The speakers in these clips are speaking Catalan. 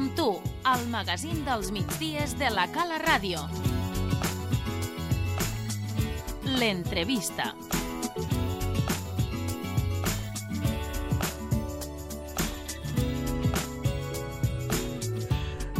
amb tu, al magazín dels migdies de la Cala Ràdio. L'entrevista.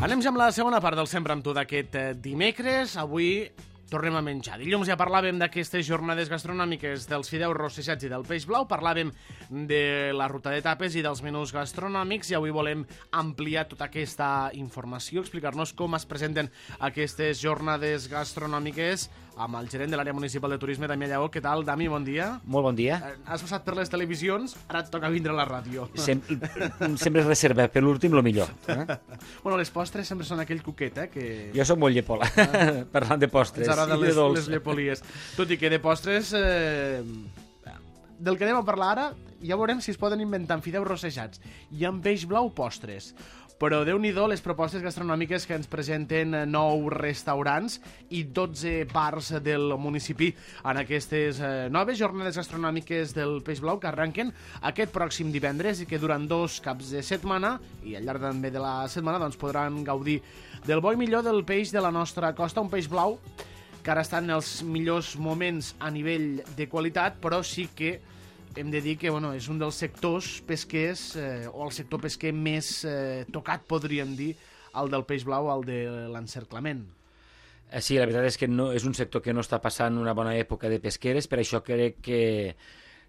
Anem ja amb la segona part del Sempre amb tu d'aquest dimecres. Avui tornem a menjar. Dilluns ja parlàvem d'aquestes jornades gastronòmiques dels fideus rossejats i del peix blau, parlàvem de la ruta de tapes i dels menús gastronòmics i avui volem ampliar tota aquesta informació, explicar-nos com es presenten aquestes jornades gastronòmiques amb el gerent de l'àrea municipal de turisme, Damià Lleó. Què tal, Dami? Bon dia. Molt bon dia. Has passat per les televisions, ara et toca vindre a la ràdio. Sempre es reserva per l'últim el millor. Bueno, les postres sempre són aquell cuquet, que... Jo soc molt llepola, parlant de postres. Ens agraden les llepolies. Tot i que de postres... Del que anem a parlar ara, ja veurem si es poden inventar amb fideus rossejats i amb peix blau postres. Però Déu-n'hi-do les propostes gastronòmiques que ens presenten 9 restaurants i 12 bars del municipi en aquestes noves jornades gastronòmiques del peix blau que arrenquen aquest pròxim divendres i que duran 2 caps de setmana i al llarg també de la setmana doncs, podran gaudir del bo i millor del peix de la nostra costa, un peix blau que ara està en els millors moments a nivell de qualitat, però sí que hem de dir que és un dels sectors pesquers, o el sector pesquer més tocat, podríem dir, el del peix blau, el de l'encerclament. Sí, la veritat és que no, és un sector que no està passant una bona època de pesqueres, per això crec que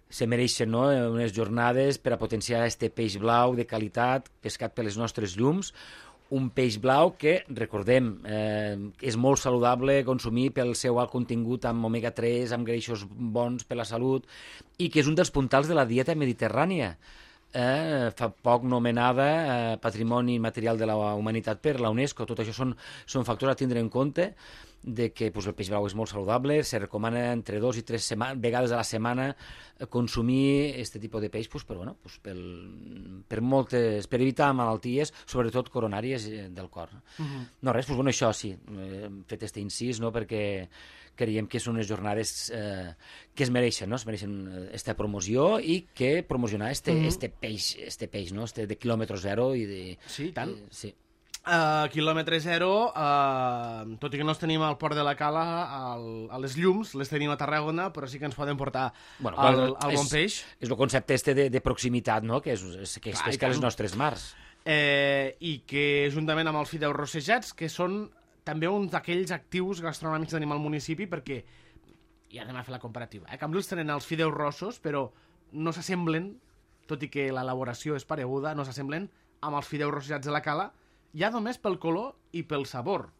se mereixen unes jornades per a potenciar este peix blau de qualitat, pescat per les nostres llums, un peix blau que, recordem, és molt saludable consumir pel seu alt contingut amb omega-3, amb greixos bons per la salut, i que és un dels puntals de la dieta mediterrània. Fa poc nomenada Patrimoni Material de la Humanitat per la UNESCO. Tot això són factors a tindre en compte, de que el peix blau és molt saludable, se recomana entre 2 i 3 vegades a la setmana consumir aquest tipus de peix per evitar malalties, sobretot coronàries del cor. No res, això sí, hem fet aquest incís, perquè creiem que són unes jornades que es mereixen aquesta promoció i que promocionar este peix de quilòmetre zero i de... Sí, tant. Sí. Quilòmetre zero, tot i que no els tenim al Port de la Cala, a les llums, les tenim a Tarragona, però sí que ens poden portar el bon peix. És el concepte de proximitat, que es pesca a les nostres mars. I que, juntament amb els fideus rossejats, que són també un d'aquells actius gastronòmics que tenim al municipi, perquè ja anem a fer la comparativa. A Cambrils tenen els fideus rossos, però no s'assemblen, tot i que l'elaboració és pareguda, no s'assemblen amb els fideus rossejats de la Cala, ja només pel color i pel sabor.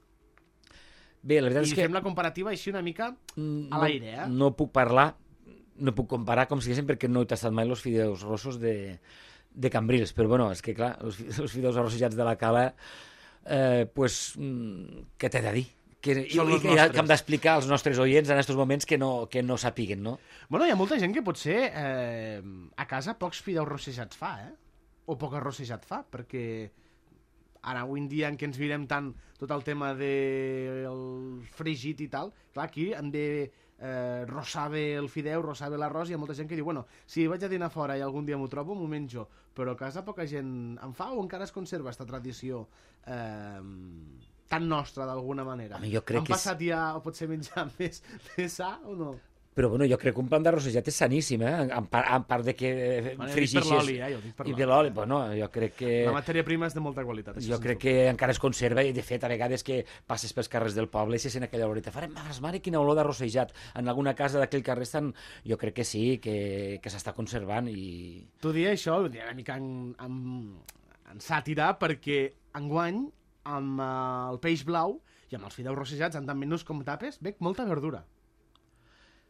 Bé, la veritat és que... I fem la comparativa així una mica a l'aire, No puc comparar com si diguéssim perquè no he tastat mai els fideus rossos de Cambrils, però és que clar, els fideus arrossejats de la Cala, què t'he de dir? Que hem d'explicar als nostres oients en aquests moments que no sàpiguen, no? Bueno, hi ha molta gent que potser a casa pocs fideus rossejats fa, o poc arrossejat fa, perquè... Ara, avui en dia en què ens mirem tant tot el tema del fregit i tal, clar, aquí hem de rossar bé el fideu, rossar bé l'arròs, i hi ha molta gent que diu, si vaig a dinar fora i algun dia m'ho trobo, m'ho menjo, però a casa poca gent en fa o encara es conserva aquesta tradició tan nostra d'alguna manera? Han passat ja, o potser menjar més sa o no? Però jo crec que un pan d'arrossejat és saníssim, en part de que frigixes... Per l'oli, jo dic per l'oli. I per l'oli, jo crec que... La matèria prima és de molta qualitat. Jo crec que encara es conserva, i de fet, a vegades que passes pels carrers del poble i se sent aquella oloreta, farem mare, quina olor d'arrossejat. En alguna casa d'aquell carrer jo crec que sí, que s'està conservant i... Tu dia això, ho diré una mica en sàtira, perquè enguany, amb el peix blau i amb els fideus rossejats, en tant menús com tapes, veig molta verdura.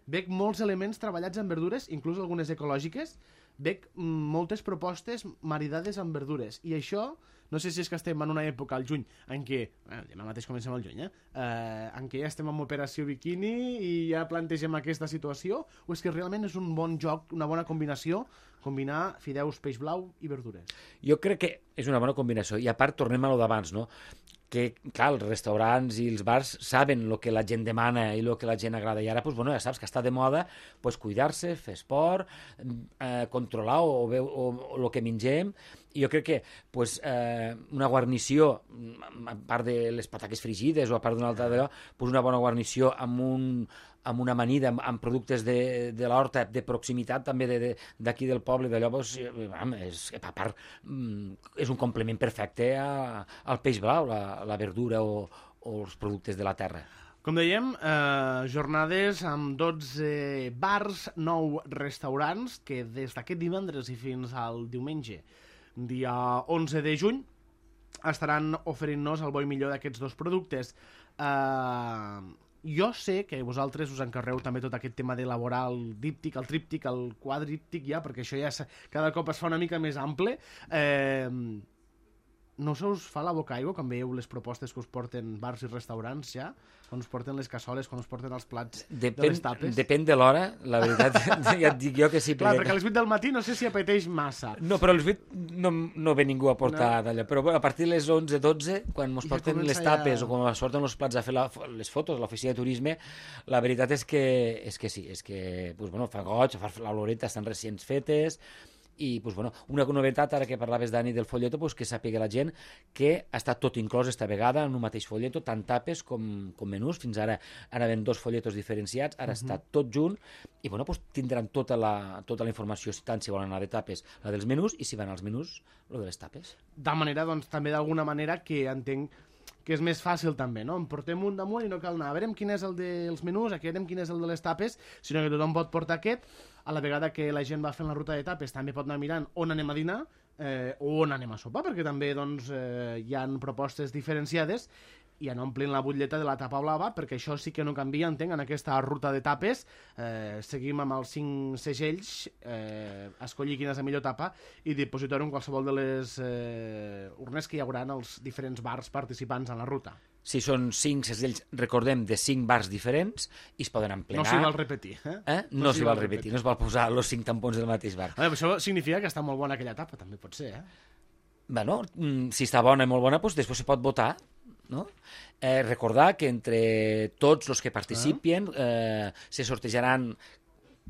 Veig molts elements treballats en verdures, inclús algunes ecològiques, veig moltes propostes maridades amb verdures. I això, no sé si és que estem en una època, al juny, en què, demà mateix comencem el juny, en què ja estem en operació biquini i ja plantegem aquesta situació, o és que realment és un bon joc, una bona combinació, combinar fideus, peix blau i verdures? Jo crec que és una bona combinació, i a part tornem a lo d'abans, que, clar, els restaurants i els bars saben el que la gent demana i el que la gent agrada. I ara, doncs, bueno, ja saps que està de moda pues, cuidar-se, fer esport, controlar o el que mengem. I jo crec que pues, una guarnició, a part de les pataques frigides o a part d'una altra d'allò, pues una bona guarnició amb una amanida, amb productes de l'horta, de proximitat també d'aquí del poble, d'allò, pues, a part, és un complement perfecte al peix blau, la verdura o els productes de la terra. Com dèiem, jornades amb 12 bars, 9 restaurants, que des d'aquest divendres i fins al diumenge, dia 11 de juny, estaran oferint-nos el bo i millor d'aquests dos productes. Jo sé que vosaltres us encarreu també tot aquest tema d'elaborar el díptic, el tríptic, el quadríptic ja, perquè això ja cada cop es fa una mica més ample. No se us fa la boca aigua quan veieu les propostes que us porten bars i restaurants ja? Quan us porten les cassoles, quan us porten els plats de les tapes? Depèn de l'hora, la veritat, ja et dic jo que sí. Clar, perquè a les 8 del matí no sé si apeteix massa. No, però a les 8 no ve ningú a portar d'allò, però a partir de les 11-12, quan ens porten les tapes o quan ens porten els plats a fer les fotos a l'oficina de turisme, la veritat és que sí, és que pues, bueno, fa goig, fa la loreta, estan recents fetes. I pues, bueno, una novetat, ara que parlaves, Dani, del folleto, pues, que sàpiga la gent que està tot inclòs esta vegada en un mateix folleto, tant tapes com menús. Fins ara anaven 2 folletos diferenciats, ara està tot junt i bueno, pues, tindran tota la informació, tant si volen anar de tapes, la dels menús, i si van als menús, la de les tapes. De manera, doncs, també d'alguna manera que entenc que és més fàcil també, no? En portem un damunt i no cal anar a veure quin és el dels menús, aquí veurem quin és el de les tapes, sinó que tothom pot portar aquest, a la vegada que la gent va fent la ruta de tapes també pot anar mirant on anem a dinar o on anem a sopar, perquè també doncs, hi han propostes diferenciades i anar omplint la butlleta de la tapa blava, perquè això sí que no canvia, entenc, en aquesta ruta de tapes. Seguim amb els 5 segells, escollir quina és la millor tapa i dipositar-ho en qualsevol de les urnes que hi haurà en els diferents bars participants en la ruta. Si són 5 segells, recordem, de 5 bars diferents i es poden emplenar. No s'hi val repetir, No s'hi val repetir, no es val posar els 5 tampons del mateix bar. Això significa que està molt bona aquella tapa, també pot ser, Bueno, si està bona i molt bona, doncs després se pot votar. No? Recordar que entre tots els que participen se sortejaran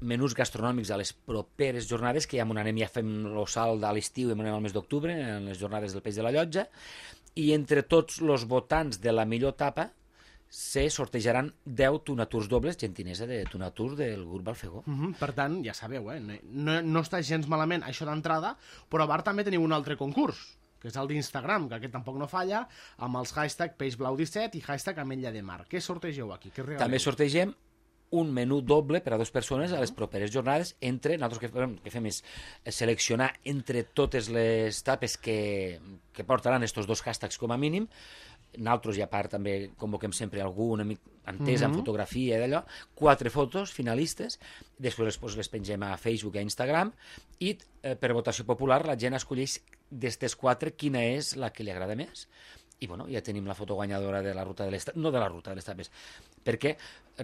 menús gastronòmics a les properes jornades, que ja anem, ja fem el salt a l'estiu i anem al mes d'octubre, en les jornades del Peix de la Llotja, i entre tots els votants de la millor tapa se sortejaran 10 tunaturs dobles, gentilesa de tunatur del grup Balfegó. Per tant, ja sabeu, no està gens malament això d'entrada, però a bar també teniu un altre concurs, que és el d'Instagram, que aquest tampoc no falla, amb els hashtag peixblau17 i hashtag ametlla de mar. Què sortegeu aquí? També sortegem un menú doble per a 2 persones a les properes jornades. Nosaltres que fem és seleccionar entre totes les tapes que portaran estos 2 hashtags com a mínim. Nosaltres, i a part, també convoquem sempre algú, un amic entès en fotografia i d'allò, 4 fotos finalistes, després les pengem a Facebook i a Instagram, i per votació popular la gent escolleix d'estes 4 quina és la que li agrada més. I bueno, ja tenim la foto guanyadora de la ruta de les tapes, no de la ruta de les tapes, perquè,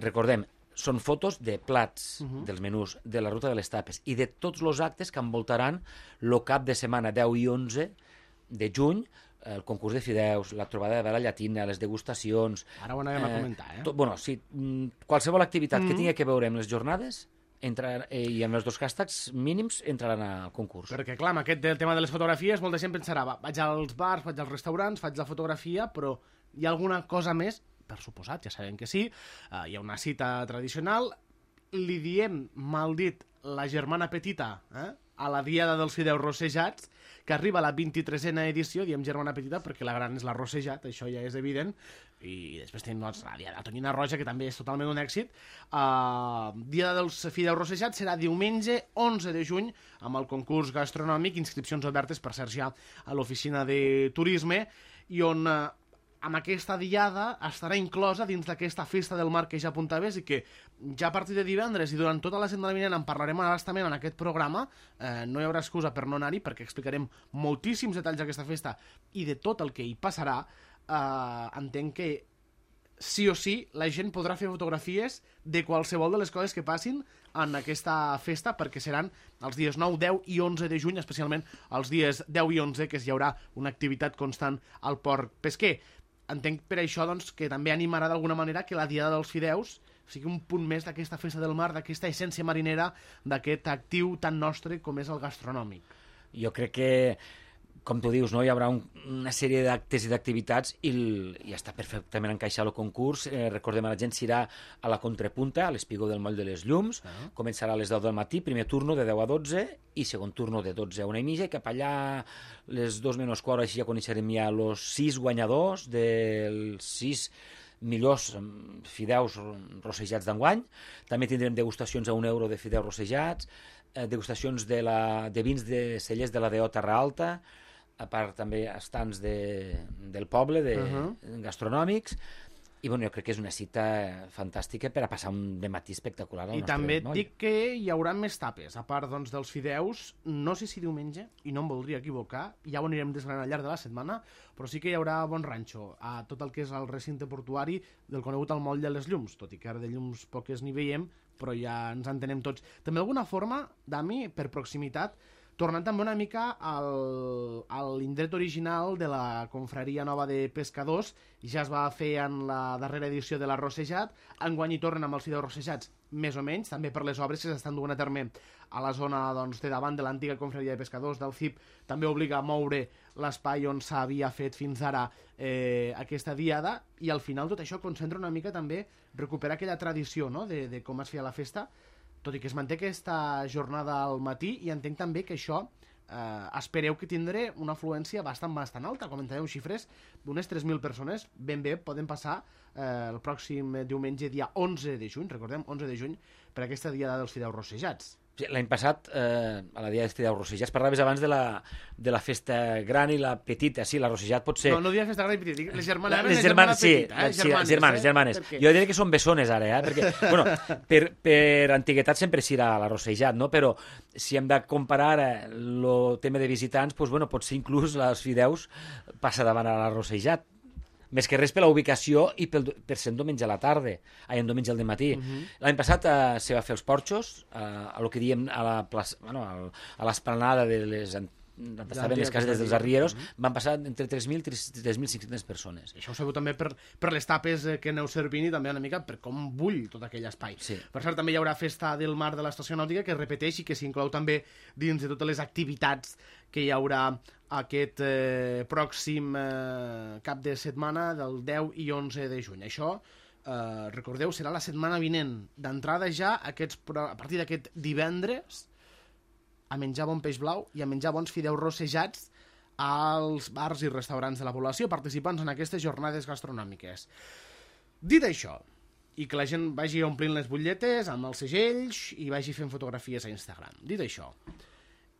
recordem, són fotos de plats dels menús, de la ruta de les tapes i de tots els actes que envoltaran el cap de setmana 10 i 11 de juny, el concurs de fideus, la trobada de vela llatina, les degustacions... Ara ho anàvem a comentar, sí, qualsevol activitat que tingui que veure amb les jornades i amb els 2 hashtags mínims entraran al concurs. Perquè, clar, amb aquest tema de les fotografies, molta gent pensarà, vaig als bars, vaig als restaurants, faig la fotografia, però hi ha alguna cosa més? Per suposat, ja sabem que sí. Hi ha una cita tradicional, li diem, mal dit, la germana petita, a la diada dels fideus rossejats, que arriba a la 23a edició, diem germana petita perquè la gran és la rossejat, això ja és evident, i després tenim la diada de tonyina roja, que també és totalment un èxit. Diada dels fideus rossejats serà diumenge 11 de juny, amb el concurs gastronòmic, inscripcions obertes, per cert, ja a l'oficina de turisme, i on amb aquesta diada estarà inclosa dins d'aquesta festa del mar que ja apuntaves i que ja a partir de divendres i durant tota la setmana vinent en parlarem abastament en aquest programa. No hi haurà excusa per no anar-hi perquè explicarem moltíssims detalls d'aquesta festa i de tot el que hi passarà. Entenc que sí o sí la gent podrà fer fotografies de qualsevol de les coses que passin en aquesta festa, perquè seran els dies 9, 10 i 11 de juny, especialment els dies 10 i 11, que hi haurà una activitat constant al port pesquer. entenc per això doncs, que també animarà d'alguna manera que la Diada dels Fideus sigui un punt més d'aquesta festa del mar, d'aquesta essència marinera, d'aquest actiu tan nostre com és el gastronòmic. Jo crec que, com tu dius, no, hi haurà una sèrie d'actes i d'activitats i està perfectament encaixat el concurs. Recordem, la gent s'irà a la Contrapunta, a l'Espigó del Moll de les Llums, començarà a les 10 del matí, primer turno de 10 a 12 i segon turno de 12 a 1:30, i cap allà les 2 menys quart, així ja coneixerem ja els 6 guanyadors dels 6 millors fideus rossejats d'enguany. També tindrem degustacions a €1 de fideus rossejats, degustacions de vins de cellers de la DO Terra Alta, a part també estants del poble, gastronòmics, i bueno, jo crec que és una cita fantàstica per a passar un dematí espectacular al I nostre també moll. dic que hi haurà més tapes, a part doncs, dels fideus, no sé si diumenge, i no em voldria equivocar, ja ho anirem desgranant al llarg de la setmana, però sí que hi haurà bon ranxo a tot el que és el recinte portuari del conegut al Moll de les Llums, tot i que ara de llums poques n'hi veiem, però ja ens entenem tots. També d'alguna forma, Dami, per proximitat, tornant també una mica a l'indret original de la confraria nova de pescadors, ja es va fer en la darrera edició de l'Arrossejat, enguany hi tornen amb els fideus rossejats, més o menys, també per les obres que s'estan duent a terme a la zona doncs, de davant de l'antiga confraria de pescadors del CIP, també obliga a moure l'espai on s'havia fet fins ara aquesta diada, i al final tot això concentra una mica també recuperar aquella tradició, no?, de com es feia la festa, tot i que es manté aquesta jornada al matí, i entenc també que això espereu que tindré una afluència bastant alta. Comentàveu xifres d'unes 3.000 persones, ben bé poden passar el pròxim diumenge, dia 11 de juny, recordem, 11 de juny, per aquesta diada dels fideus rossejats. L'any passat, a la Diada dels Fideus Rossejats, parlaves abans de la festa gran i la petita. Sí, la rossejat pot ser... No diria festa gran i petita, les germanes, les germanes. Jo diria que són bessones ara, perquè, bueno, per antiguitat sempre s'irà a la rossejat, no? Però si hem de comparar el tema de visitants, doncs, bueno, potser inclús els fideus passa davant a la rossejat. Més que res per la ubicació i per ser un diumenge a la tarda, un diumenge al dematí. L'any passat se va fer els porxos, a lo que diem a l'esplanada de les estaven les cases dels arrieros, van passar entre 3.000 i 3.500 persones. Això ho sabeu també per les tapes que aneu servint i també una mica per com bull tot aquell espai. Sí. Per cert, també hi haurà festa del mar de l'estació nàutica, que es repeteix i que s'inclou també dins de totes les activitats que hi haurà aquest pròxim cap de setmana del 10 i 11 de juny. Això, recordeu, serà la setmana vinent. D'entrada ja, a partir d'aquest divendres, a menjar bon peix blau i a menjar bons fideus rossejats als bars i restaurants de la població participants en aquestes jornades gastronòmiques. Dit això, i que la gent vagi omplint les butlletes amb els segells i vagi fent fotografies a Instagram. Dit això,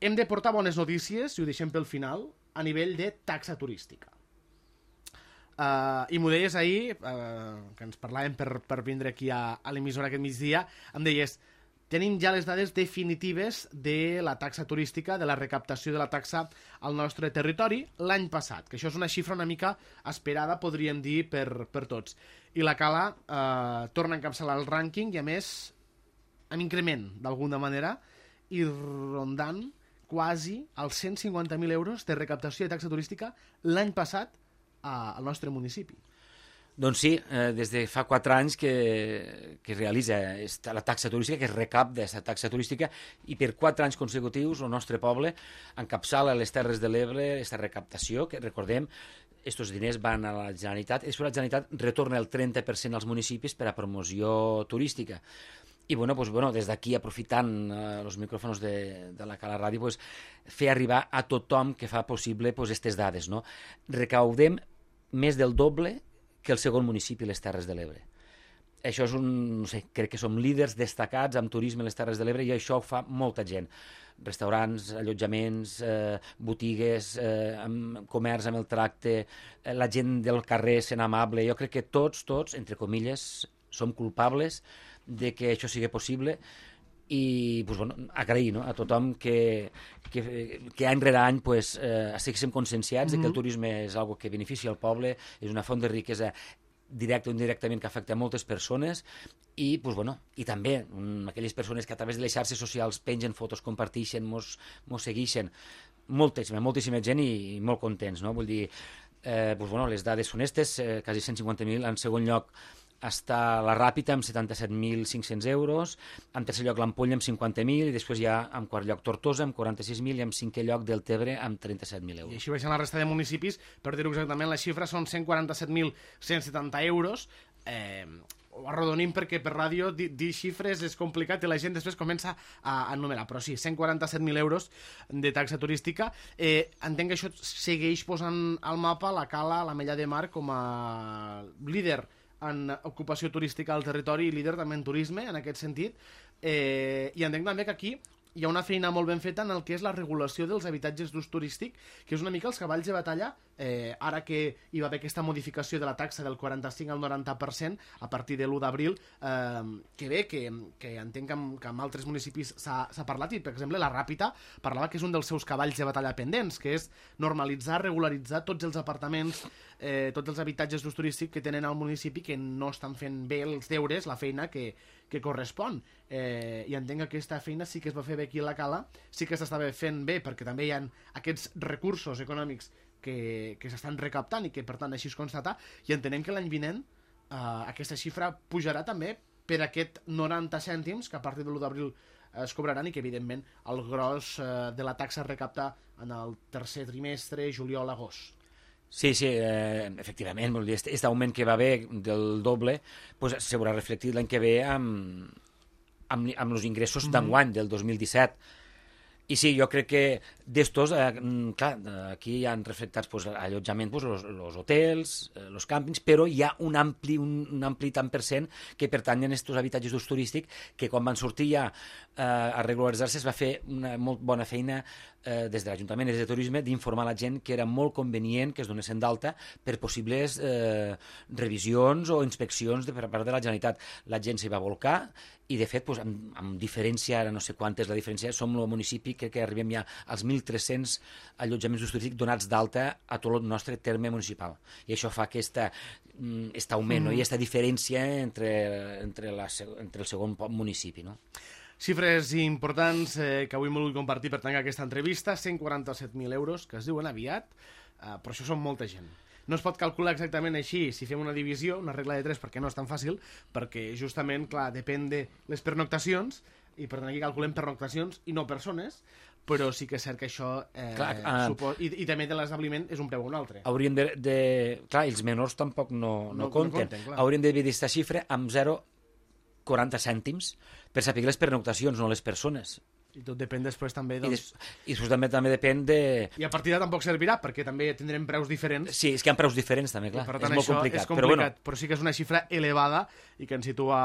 hem de portar bones notícies, i ho deixem pel final, a nivell de taxa turística. I m'ho deies ahir, que ens parlàvem per vindre aquí a l'emissora aquest migdia, em deies, tenim ja les dades definitives de la taxa turística, de la recaptació de la taxa al nostre territori l'any passat, que això és una xifra una mica esperada, podríem dir, per tots. I la Cala torna a encapçalar el rànquing i, a més, amb increment, d'alguna manera, i rondant quasi els 150.000 euros de recaptació de taxa turística l'any passat al nostre municipi. Doncs sí, des de fa 4 anys que es realitza la taxa turística, que es recapta aquesta taxa turística, i per 4 anys consecutius el nostre poble encapçala a les Terres de l'Ebre aquesta recaptació, que recordem, aquests diners van a la Generalitat, i després la Generalitat retorna el 30% als municipis per a promoció turística. I des d'aquí, aprofitant els micròfons de la Cala Ràdio, fer arribar a tothom que fa possible aquestes dades. Recaudem més del doble que el segon municipi, les Terres de l'Ebre. Això és no sé, crec que som líders destacats en turisme a les Terres de l'Ebre, i això ho fa molta gent. Restaurants, allotjaments, botigues, comerç amb el tracte, la gent del carrer sent amable. Jo crec que tots, entre comilles, som culpables de que això sigui possible, i agrair a tothom que any rere any estiguéssim conscienciats de que el turisme és una que beneficia el poble, és una font de riquesa directa o indirectament que afecta a moltes persones, i també aquelles persones que a través de les xarxes socials pengen fotos, comparteixen, mos segueixen, moltíssima gent, i molt contents, no? Vull dir, Les dades són aquestes, quasi 150.000. En segon lloc està la Ràpita amb 77.500 euros, en tercer lloc l'Ampolla amb 50.000 i després hi ha en quart lloc Tortosa amb 46.000 i en cinquè lloc Deltebre amb 37.000 euros. I així baixen la resta de municipis, per dir-ho exactament, les xifres són 147.170 euros. Ho arrodonim perquè per ràdio dir xifres és complicat i la gent després comença a enumerar, però sí, 147.000 euros de taxa turística. Entenc que això segueix posant al mapa la Cala, l'Ametlla de Mar, com a líder en ocupació turística al territori i líder també en turisme, en aquest sentit. I entenc també que aquí hi ha una feina molt ben feta en el que és la regulació dels habitatges d'ús turístic, que és una mica els cavalls de batalla, ara que hi va haver aquesta modificació de la taxa del 45 al 90% a partir de l'1 d'abril, que bé, que entenc que en altres municipis s'ha parlat, i per exemple la Ràpita parlava que és un dels seus cavalls de batalla pendents, que és normalitzar, regularitzar tots els apartaments, tots els habitatges d'ús turístic que tenen al municipi que no estan fent bé els deures, la feina que correspon. I entenc que aquesta feina sí que es va fer bé aquí a la Cala, sí que s'estava fent bé perquè també hi ha aquests recursos econòmics que s'estan recaptant i que per tant així es constata, i entenem que l'any vinent aquesta xifra pujarà també per aquest 90 cèntims que a partir de l'1 d'abril es cobraran i que evidentment el gros de la taxa es recapta en el tercer trimestre, juliol-agost. Sí, efectivament, aquest augment que va haver del doble se veurà reflectit l'any que ve amb els ingressos d'enguany, del 2017. I sí, jo crec que d'estos, clar, aquí hi han reflectats allotjament, els hotels, els càmpings, però hi ha un ampli tant per cent que pertanyen a aquests habitatges d'ús turístic que quan van sortir ja a regularitzar-se es va fer una molt bona feina des de l'Ajuntament i des de Turisme d'informar la gent que era molt convenient que es donessin d'alta per possibles revisions o inspeccions per part de la Generalitat. La gent s'hi va volcar i, de fet, amb diferència, ara no sé quanta és la diferència, som el municipi que arribem ja als 1.300 allotjaments d'ús turístic donats d'alta a tot el nostre terme municipal. I això fa aquest augment, no? I aquesta diferència entre el segon municipi, no? Xifres importants que avui hem volgut compartir per tancar aquesta entrevista, 147.000 euros, que es diuen aviat, però això són molta gent. No es pot calcular exactament així si fem una divisió, una regla de 3, perquè no és tan fàcil, perquè justament, clar, depèn de les pernoctacions, i per tant aquí calculem pernoctacions i no persones, però sí que és cert que això i també de l'establiment és un preu o un altre. Hauríem clar, els menors tampoc no compten. Hauríem de dividir aquesta xifra amb 0,40 cèntims per saber les pernoctacions, no les persones. I tot depèn després també I després també depèn de... I a partir d'ara tampoc servirà, perquè també tindrem preus diferents. Sí, és que hi ha preus diferents també, clar. Per tant, és molt complicat. És complicat, però sí que és una xifra elevada i que ens situa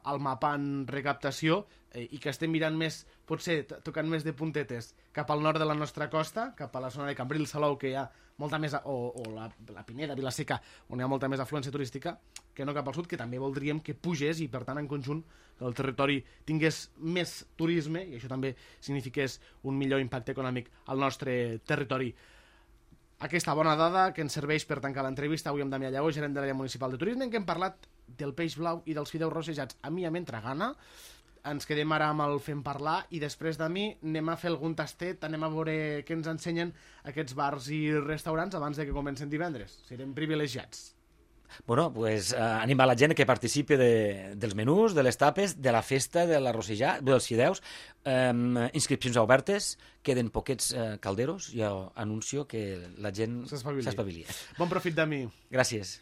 al mapa en recaptació i que estem mirant més, potser tocant més de puntetes cap al nord de la nostra costa, cap a la zona de Cambrils, Salou, que hi ha molta més, o la Pineda, Vilaseca, on hi ha molta més afluència turística, que no cap al sud, que també voldríem que pugés i, per tant, en conjunt, que el territori tingués més turisme, i això també signifiqués un millor impacte econòmic al nostre territori. Aquesta bona dada que ens serveix per tancar l'entrevista avui amb Damià Lleó, gerent de l'àrea municipal de turisme, en què hem parlat del peix blau i dels fideus rossejats. A mi m'entra gana. Ens quedem ara amb el Fem Parlar i després de mi anem a fer algun tastet, anem a veure què ens ensenyen aquests bars i restaurants abans de que comencen divendres. Serem privilegiats. Bueno, pues animar la gent que participi dels menús, de les tapes, de la festa, de l'arrossejat, dels fideus. Inscripcions obertes, queden poquets calderos. Jo anuncio que la gent s'espavili. Bon profit de mi. Gràcies.